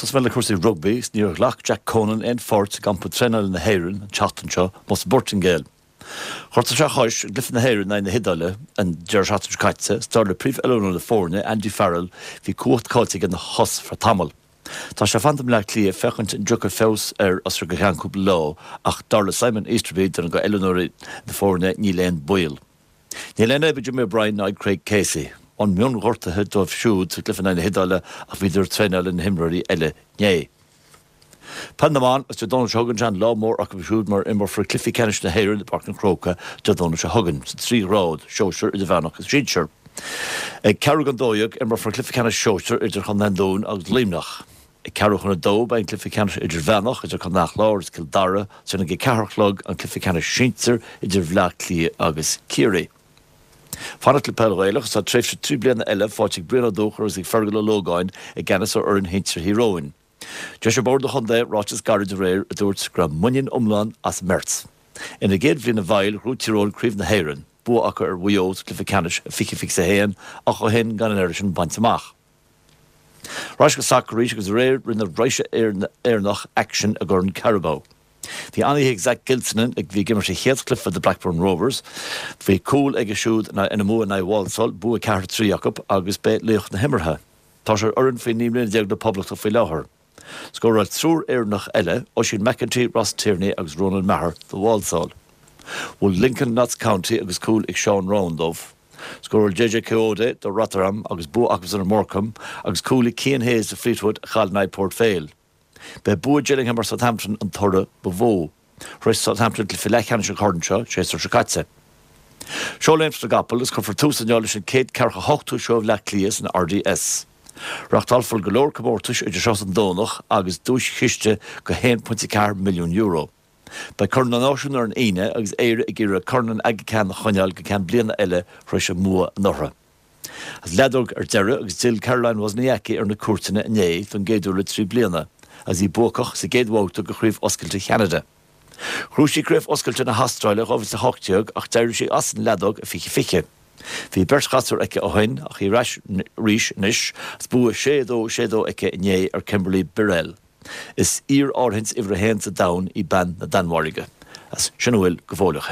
Tosóidh mé le cúrsaí rugbaí is níor ghlac Jack Conan aon pháirt i gcampa traenála na hÉireann an tseachtain seo amuigh sa bPortaingéil. Ghortaigh sé a chois i gcluiche na hÉireann in aghaidh na hIodáile an deireadh seachtaine seo caite is dar le príomh-oiliúnóir na foirne, Andy Farrell, bhí cumhacht caillte aige ina chos ar feadh tamaill. Tá sé ag fanacht i mBleá Cliath féachaint an dtiocfaidh feabhas air as seo go ceann cúpla lá ach dar le Simon Easterby, duine de oiliúnóirí na foirne, níl aon baol. Níl aon fhadhb ag Jimmy O'Brien ná ag Craig Casey. Bhain mionghortuithe dóibh siúd sa gcluiche in aghaidh na hIodáile ach bhíodar ag traenáil leis na himreoirí eile inné. Peil na mBan, is Dé Domhnaigh seo chugainn an lá mór acu siúd mar imreofar cluichí ceannais na hÉireann i bPáirc an Chrócaigh Dé Domhnaigh seo chugainn sa trí ghrád, sóisir, idirmheánach agus sinsir. Ag ceathrú don 12 imreofar cluiche ceannais sóisir idir Chontae an Dúin agus Luimneach. Ag ceathrú chun a dó beidh an cluiche ceannais idirmheánach idir Contae an Chláir agus Cill Dara, ansin ag a ceathair a chlog an cluiche ceannais sinsir idir Bhleá Cliath agus Ciarraí. Fanacht le peil Ghaelach is tá tréimhse 3 bliana eile faighte ag Brian Ó Dúchair agus ag Fergal Ó Lógáin i gceannas ar fhoireann shinsir Thír Eoghain. D'eisigh Bord an Chontae ráiteas gairid aréir a dúirt go raibh muinín iomlán as an mbeirt. Ina gcéad bhliain i bhfeighil, ghnóthaigh Tír Eoghain Craobh na hÉireann, bua acu ar Mhaigh Eo sa gcluiche ceannais i 2021 ach ó shin gan an oiread sin bainte amach. Ar ais go sacar arís agus aréir rinne raidhse Éireannach aicsean i gCorn Carabao. Bhí an-oíche ag Zak Gilsenan a bhí ag imirt a chéad chluiche do Blackburn Rovers. Bhí cúl aige siúd ina mbua in aghaidh Walsall, bua 4-3 acu agus b'é laoch na himeartha. Tá sé ar fhoireann faoi 19 mbliana na Poblachta faoi láthair. Scóráil triúr Éireannach eile, Oisín McEntee, Ross Tierney agus Ronan Maher do Walsall. Bhuail Lincoln Notts County agus cúl ag Sean Roughan dóibh. Scóráil JJ Kayode do Rotherham agus bua acusan ar Morecambe agus cúl ag Cian Hayes do Fleetwood a chaill in aghaidh Port Vale. B'é bua Gillingham ar Southampton an toradh ba mhó. Shroich Southampton cluiche leathcheannais an choirn seo séasúr seo caite. Seó Léimt na gCapall agus cuirfear tús inniu leis an chéad ceathracha hochtú seó Bhleá Cliath san RDS. Reachtálfar go leor comórtais idir seo is an Domhnach agus duaischiste go €1.4 milliún. Beidh Corn na Náisiún ar an Aoine agus Éire ag iarraidh Corn an Aga Khan a choinneáil go ceann bliana eile tar éis a mbua anuraidh. Agus leadóg ar deireadh agus d'fhill Caroline Wozniacki ar na cúirteanna inné don gcéad uair le 3 bliana agus í buacach sa gcéad bhabhta de Chraobh Oscailte Cheanada. Ghnóthaigh sí Craobh Oscailte na hAstráile 2018 ach d'éirigh sí as an leadóg i 2020. Bhí beirt ghasúr aici ó shin ach í ar ais arís anois agus bua 6-2, 6-2 aici inné ar Kimberly Birrell. Is iar-áirithint uimhir a haon sa domhan í bean na Danmhairge. Agus sin a bhfuil go fóilleach.